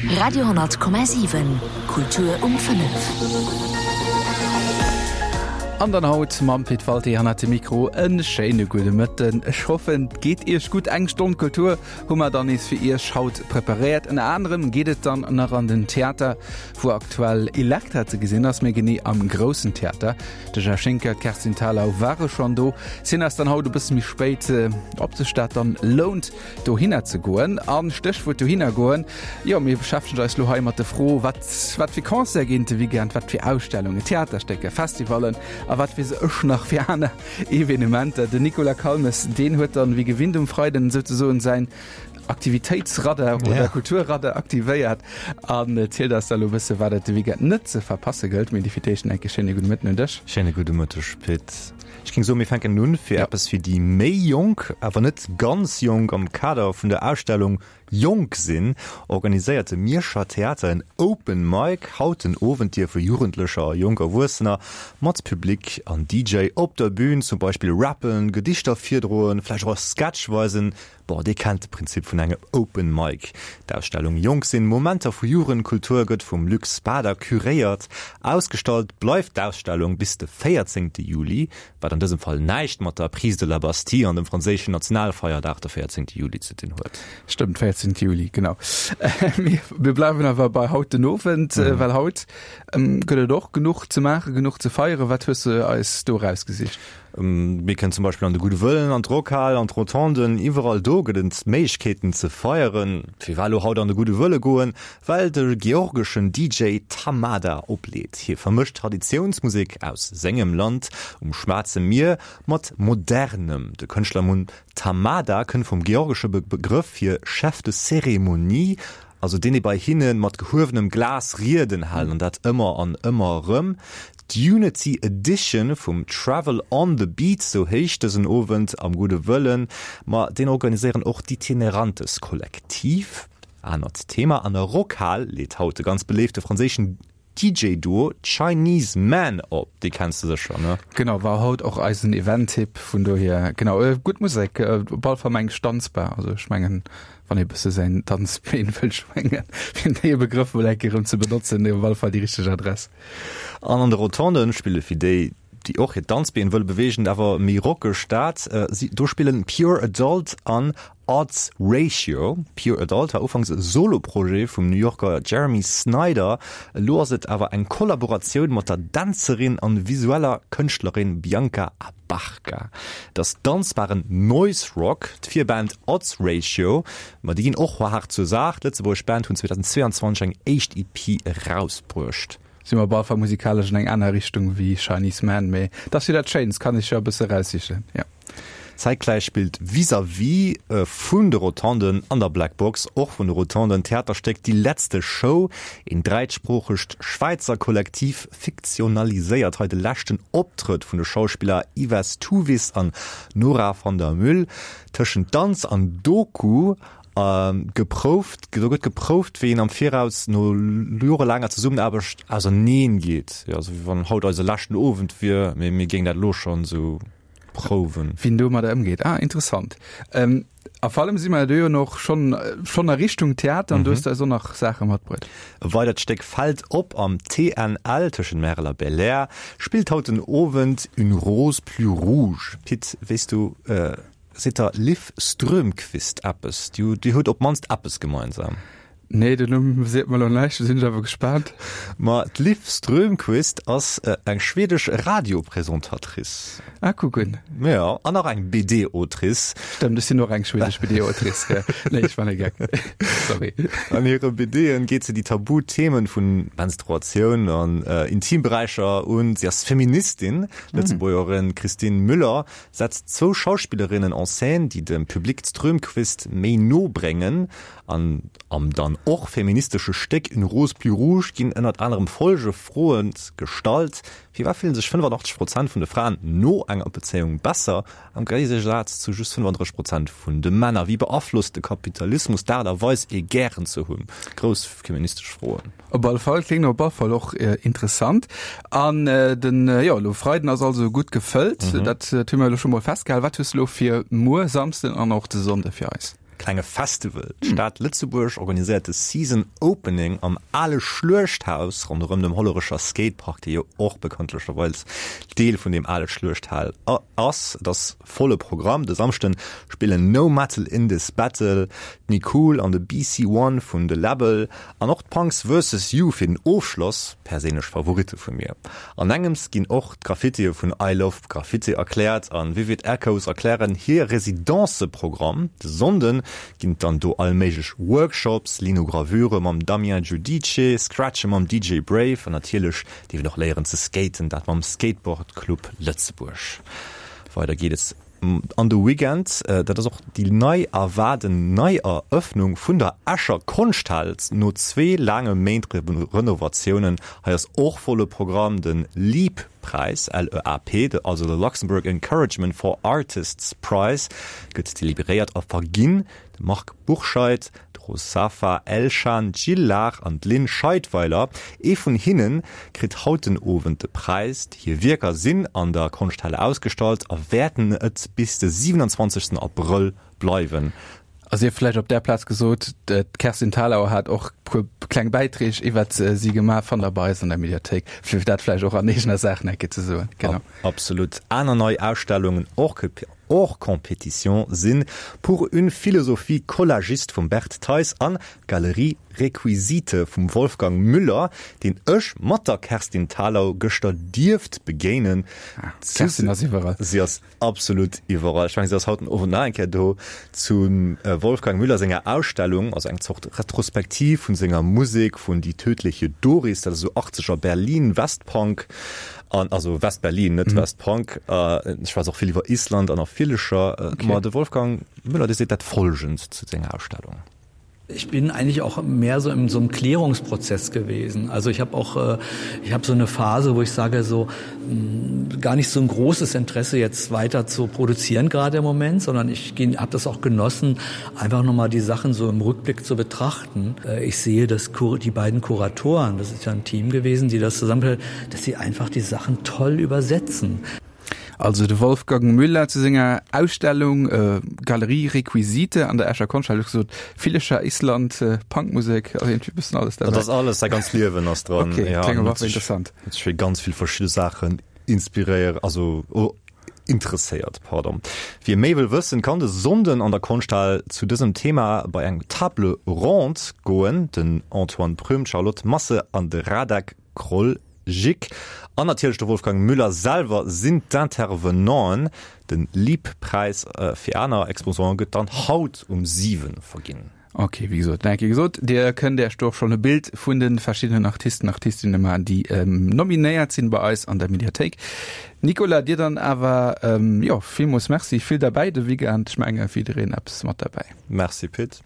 Radio,7 Kultur um 5. An dann haut mam Pit Walté hannert dem Mikro en schéine gudde Mëtten. Ech hoffen et geet Iech gutt. Eng Stonn Kultur hu mer dann nees fir Iech haut preparéiert. Ënner anerem geet et dann nach an den Theater, wou aktuell Elektra ze gesinn ass, méi genee am Groussen Theater. De Jeff Schinker, d'Kerstin Thalau ware schonn do. Sinn eis dann haut e bësse méi spéit, ob sech dat dann lount, dohinner ze goen. An Stéchwuert dohinner goen, jo mir beschäftegen eis lo hei mat de Fro, wat wat fir Concerte ginn de Weekend, wat fir Ausstellungen, Theaterstécker, Festivallen a wat weess ech nach fir aner Evenementer. Den Nicolas Calmes, deen huet dann wéi gewinnt um Freiden souzesoen säin Aktivitéitsradar oder ja. Kulturradar aktivéiert an zielt eis da lo bësse wat et de Weekend net ze verpasse gëllt. Mee déi fir d'éischt enke schéine gudde Mëtten un dech. Schéine gudde Mëtteg Pit. Ech géing soen, mir fänken un fir ja. eppes fir déi méi Jonk, awer net ganz jonk. Am Kader vun der Ausstellung Jonk sinn organiséiert de Mierscher Theater en Open Mic. Haut den Owend dierfe Jugendlecher a jonk Erwuessener mat Public an DJ op der Bün zum Beispill rappen, Gedichter virdroen, vläicht och e Sketch weisen. Bon, dir kennt de Prinzip vun engem Open Mic. D'Ausstellung Jonk sinn, Momenter vu Jugendkultur gëtt vum Luc Spader curéiert. Ausgestallt bleift d'Ausstellung bis de 14 Juli, wat an dësem Fall näischt mat der Prise de la Bastille an dem franséischen Nationalfeierdag, de 14 Juli, ze dinn huet. Stëmmt, 14 Juli, genau. Mir bleiwen awer bei haut den Owend, well haut gëtt et och genuch ze maachen, genuch ze feieren. Wat hues de eis do erausgesicht? Mir kënnen zum Beispill an de Gudde Wëllen, an d'Rockhal, an d'Rotonden, iwwerall do gëtt et Méiglechkeeten ze feieren. Firwat elo haut an de Gudde Wëlle goen? Well de georgeschen DJ Tamada opleet. Hie vermëscht Traditiounsmusek aus sengem Land um Schwaarze Mier mat Modernem. De Kënschtlernumm Tamada kënnt vum georgesche Begrëff fir Chef de cérémonie, also deen, dee bei hinne mat gehuewenem Glas Rieden hält, an dat ëmmer an ëmmer erëm. D'Unity Edition vum Travel on the Beat, sou héicht dësen Owend am Gudde Wëllen, ma deen organiséieren och d'Itinerantes Kollektiv. Anert Thema, An der Rockhal leet haut de ganz beléifte franséischen DJ-Duo Chinese Man op. Déi kenns de sécher, ne? Genau, war haut och eisen Event-Tipp, vun dohier, genau, gutt Musek, op alle Fall meng ech danzbar, also ech mengen, wann ee bësse säin Danzbeen wëll schwéngen, fir dee Begrëff mol eng Kéier erëm ze benotzen, op alle Fall déi richteg Adress. An an de Rotonden spille fir déi, déi och hiert Danzbeen wëlle beweegen, awer méi rockeg dat si. Do spillen Pure Adult an Odds Ratio. Pure Adult war ufanks e Solo-Projet vum New Yorker Jeremy Snyder, elo ass et awer eng Kollaboratioun mat der Dänzerin an visueller Kënschtlerin Bianca Abarca. Et ass danzbaren Noise Rock. D'Virband Odds Ratio, ma déi ginn och haart zur Saach. D'lëtzebuergesch Band hunn 2022 eng éischt EP erausbruecht. Si mer op alle Fall musikalesch an eng aner Richtung wéi Chinese Man, mee et ass jo dat Schéinst, kann ee sech jo e bësse eraussichen, jo. Zäitgläich spillt vis-à-vis vun de Rotonden an der Black Box, och vun de Rotonden, d'Theaterstéck Die letzte Show. Een dräisproochegt Schwäizer Kollektiv fiktionaliséiert hei de leschten Optrëtt vun de Schauspiller Yves Tuvis an Nora van der Mül. Tëschent Danz an Doku geprouft, do gëtt geprouft, wéi een am Viraus no jorelaanger Zesummenaarbecht auserneen geet. Jo, esou wéi wann haut eise leschten Owend wier, mee mir géingen dat elo schonn esou prouwen. Wien domadder ëmgeet. Ah, interessant. Ähm, a vor allem si mer do jo noch schon, schon a Richtung Theater an du hues eis och nach Saache matbruet. E weidert Stéck fält op am TNL tëschent Märel a Belair, spillt haut den Owend Une rose plus rouge. Pit, weess du, seet der Liv Strömquist eppes? Déi huet op d'mannst eppes gemeinsam. Nee, den Numm seet mer lo näischt, do sinn ech awer gespaant. Ma d'Liv Strömquist ass eng schwedesch Radiopresentatrice. Ah, kuck un. Jo, an nach eng BD-Autrice. Stëmmt, ech sinn och eng schwedesch BD-Autrice. Nee, ech war e Geck. Sorry. An hire BDen geet se déi tabu Themen vun Menstruatioun an Intimberäicher un. Si ass Feministin. D'Lëtzebuergerin Christine Müller setzt zwou Schauspillerinnen en scène, déi dem Public d'Strömquist méi no bréngen. An am dann och feministesche Stéck Une rose plus rouge ginn ënnert anerem folge Froe gestallt, Firwat fillen sech 85 Prozent vun de Fraen no enger Bezéiung besser, am Géigesaz zu just 35 Prozent vun de Männer? Wéi beaflosst de Kapitalismus d'Aart a Weis, ee gären ze hunn? Grouss feministesch Froen. Op alle Fall, kléngt op alle Fall och interessant. An den, jo, elo Freiden ass also gutt gefëllt, dat hu mir elo scho mol festgehalen. Wat hues de elo fir muer Samsden an och de Sonnde fir eis? klenge Festival. D'Stad Lëtzebuerg organiséiert de Season Opening am ale Schluechthaus ronderëm dem Hollerecher Skatepark, dee jo och bekanntlecherweis Deel vun deem ale Schluechthal ass. Et ass volle Programm. De Samschden spillen No Metal In This Battle, d'Nicool an de BC One vun The Label an och d'Punks Versus You fir den Ofschloss, perséinlech Favoritte vu mir. An engems ginn och d'Graffitie vun I Love Graffiti erkläert an Vivid Echoes erklären hir Residenceprogramm. De Sonnden ginn et dann do all méiglech Workshops, Linogravure mam Damien Giudice, Scratche mam DJ Brave an natierlech dierf een och léieren ze skaten, dat mam Skateboard Club Lëtzebuerg. Weider geet et an de Weekend, dat ass och déi nei erwaarden Neierëffnung vun der Escher Konschthal no zwee laange Méint Renovatiounen. Hei ass och volle Programm, de LEAP-Präis, LEAP, also de Luxembourg Encouragement for Artists Prize, gëtt deliberéiert a verginn. De Marc Bourscheid, d'Rosafa Elchan, d'Jill Lahr an d'Lynn Scheidweiler, ee vun hinne kritt haut den Owend de Präis. Hir Wierker sinn an der Konschthalle ausgestallt a wäerten et bis de 27 Abrëll bleiwen. A sief vläicht op där Plaz gesot, d'Kerstin Thalau hat och puer kleng Bäiträg iwwert si gemaach, fannt der bei eis an der Mediathéik, fir dat vläicht och an eegener Saach nach eng Kéier ze soen. Genau. Absolut. Aner nei Ausstellungen och. Hors compétition sinn Pour une philosophie collagiste vum Bert Theis an Galerie Requisite vum Wolfgang Müller, deen ech mat der Kerstin Thalau gëschter dierft begéinen. D'Kerstin ass iwwerall. Si ass absolut iwwerall. Ech mengen, si ass haut den Owend nach eng Kéier do zum Wolfgang Müller senger Ausstellung, also eng Zort Retrospektiv vun senger Musek vun Die tödliche Doris, dat ass esou achtzeger Berlin Westpunk. An also West-Berlin, net West-Punk. Ech schwätz och vill iwwer Island an a Villecher. Ma de Wolfgang Müller, dee seet dat Folgend zu senger Ausstellung. Ich bin eigentlich auch mehr so in so einem Klärungsprozess gewesen. Also ich habe auch äh, ich habe so eine Phase, wo ich sage so mh, gar nicht so ein großes Interesse jetzt weiter zu produzieren gerade im Moment, sondern ich habe das auch genossen, einfach noch mal die Sachen so im Rückblick zu betrachten. Äh, ich sehe, dass die beiden Kuratoren, das ist ja ein Team gewesen, die das zusammen dass sie einfach die Sachen toll übersetzen. Also de Wolfgang Müller zu senger Ausstellung äh, Galerie Requisite an der Escher Konschthalle gesot Villecher Island äh, Punkmusek also irgendwie bëssen alles dabei. Dat ass alles, säi ganz Liewen ass dran. Okay, ja, kléngt awer interessant. Huet sech fir ganz vill verschidde Saachen inspiréiert, also oh, interesséiert, pardon. Wie méi wëll wëssen, kann de Sonnden an der Konschthal zu dësem Thema bei eng Table ronde goen. Den Antoine Prüm, d'Charlotte Masse an de Radek Kroljic an natierlech de Wolfgang Müller selwer sinn d'Intervenanten. Den Leap-Präis fir aner Exposanten gëtt dann haut um 7 verginn. Ok, wéi gesot, nach eng Kéier gesot, Dir kënnt Iech do och schonn e Bild vun de verschiddenen Artisten, Artistinne maachen, déi nominéiert sinn bei eis an der Mediathéik. Nicolas, dir dann awer, jo, villmools Merci, vill derbäi de Weekend, ech menge fir jiddereen eppes mat derbäi. Merci Pit.